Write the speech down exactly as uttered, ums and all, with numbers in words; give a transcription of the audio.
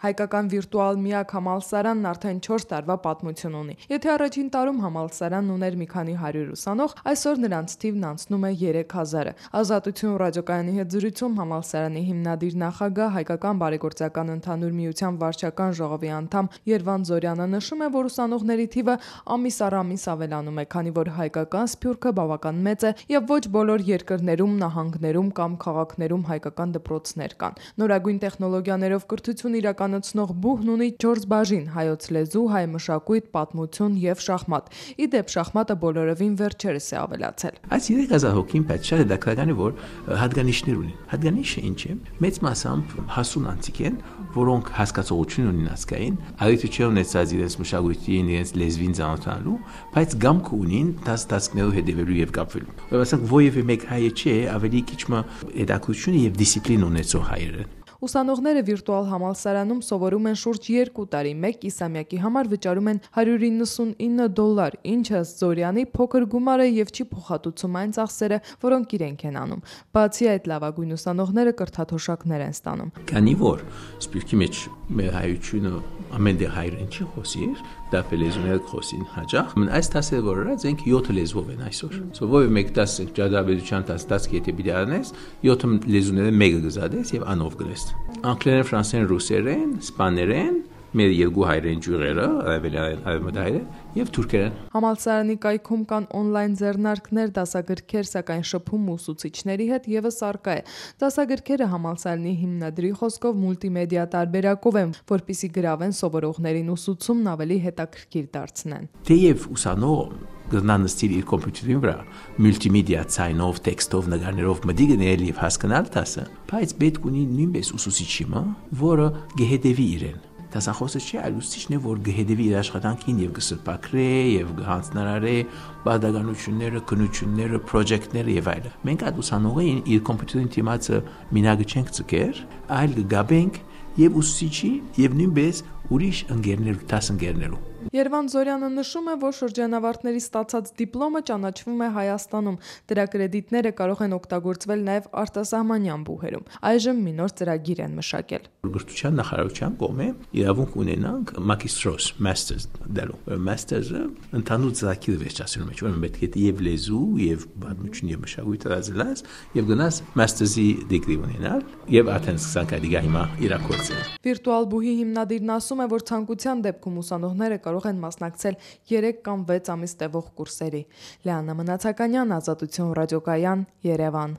Հայկական վիրտուալ միակ համալսարանն արդեն չորս տարվա պատմություն ունի։ Եթե առաջին տարում համալսարանն ուներ մի քանի հարյուր ուսանող, այսօր նրանց թիվն անցնում է երեք հազարը։ Ազատություն ռադիոկայանի հետ զրույցում համալսարանի հիմնադիր նախագահ, Հայկական բարեգործական ընդհանուր միության վարչական ժողովի անդամ Երվանդ Զորյանը նշում է, որ ուսանողների թիվը ամիս առ ամիս ավելանում է, քանի որ հայկական սփյուռքը բավական մեծ է եւ ոչ բոլոր երկրներում, նահանգներում կամ քաղաքներում հայկական դպրոցներ կան։ Նորագույն տեխնոլոգիաներով կրթություն իրականացնող բուհն ունի չորս բաժին՝ հայոց լեզու, հայ մշակույթ, պատմություն եւ շախմատ։ Ի դեպ, շախմատը բոլորովին վերջերս է ավելացել։ Այս երեք հազար հոգին բայց շատ հետաքրքրական է, որ հատկանիշներ ունեն։ Հատկանիշը ինչ է։ Մեծ մասամբ հասուն անձիկ են, որոնք հասկացողություն ունեն ազգային, այլ չէ ունեցած իրենց մշակույթին, իրենց լեզվին ծանոթանալու, բայց գամք ունին դաստասկներով հետևելու եւ կապվելու։ Ուրեմն ովևէ մեկ հայ չէ, ավելի քիչ մը հետաքրություն եւ դիսցիպլին ունեցող հայեր են։ Ուսանողները վիրտուալ համալսարանում սովորում են շուրջ երկու տարի, մեկ կիսամյակի համար վճարում են հարյուր իննսունինը դոլար, ինչը Զորյանի փոքր գումար է եւ չի փոխհատուցում այն ծախսերը, որոնք իրենք են անում։ Բացի այդ, լավագույն ուսանողները կրթաթոշակներ են ստանում։ Քանի որ սպիրկի մեջ մեր հայությունը ամեն դե հայրեն չի խոսիր, դա լեզուները խոսին հաջող։ Այս տասը որը զենք յոթ լեզվով են այսօր։ Սովորը մեկ տասը ճարտարապետության տասը տասը եթե պիտի անես, յոթ լեզուները մեկը գզադես եւ անով գրես։ Անգլերեն, ֆրանսերեն, ռուսերեն, իսպաներեն, մեր երկու հայերեն ջուրերը, արևելային եւ թուրքերեն։ Համալսարանի կայքում կան օնլայն ձեռնարկներ, դասագրքեր, սակայն շփում ուսուցիչների հետ եւս առկա է։ Դասագրքերը համալսարանի հիմնադրի խոսքով մուլտիմեդիա տարբերակով են, որպիսի գրավեն սովորողներին ուսուցումն ավելի հետաքրքիր դարձնեն։ Թեև ուսանող գտնանստիր իր կոմպյուտերի վրա մուլտիմեդիա ցայնով, տեքստով, նկարներով մտի գնել եւ հասկանալ դասը, բայց պետք ունի նույնպես ուսուցիչի, որը գեհդեվի իրեն։ Դասախոսը չէ, այլ ուսուցիչն է, որ գեհդեվի իր աշխատանքին եւ գսրբակրե եւ գհանձնարարե բադականությունները, քնությունները, պրոջեկտները եւ այլը։ Մենք այդ ուսանողին իր կոմպյուտերին թիմացը մինագը չենք ցկեր, այլ գաբենք եւ ուսուցիչի եւ նույնպես ուրիշ ընկերներ, դաս ընկերներու։ Երվանդ Զորյանը նշում է, որ շրջանավարտների ստացած դիպլոմը ճանաչվում է Հայաստանում։ Դրա կրեդիտները կարող են օգտագործվել նաև արտասահմանյան բուհերում։ Այժմ մի նոր ծրագիր են մշակել։ Գրթության նախարարության կողմէ իրավունք ունենանք մագիստրոս, մաստers դալու։ Մաստերը ընդհանուր ծրագիր վերջացնում է, ուրեմն պետք է եւ լեզու, եւ պատմություն, եւ մշակույթ դասելած, եւ գնաս մաստերի դիգրի ունենալ, եւ արդեն սկսանք այդ հիմա իրակորձել։ Վիրտուալ բուհի հիմնադիրն ասում է, որ ցանկության դեպքում ուսանողները կարող են մասնակցել երեք կամ վեց ամիս տևող կուրսերի։ Լեանա Մնացականյան, Ազատություն ռադիոկայան, Երևան։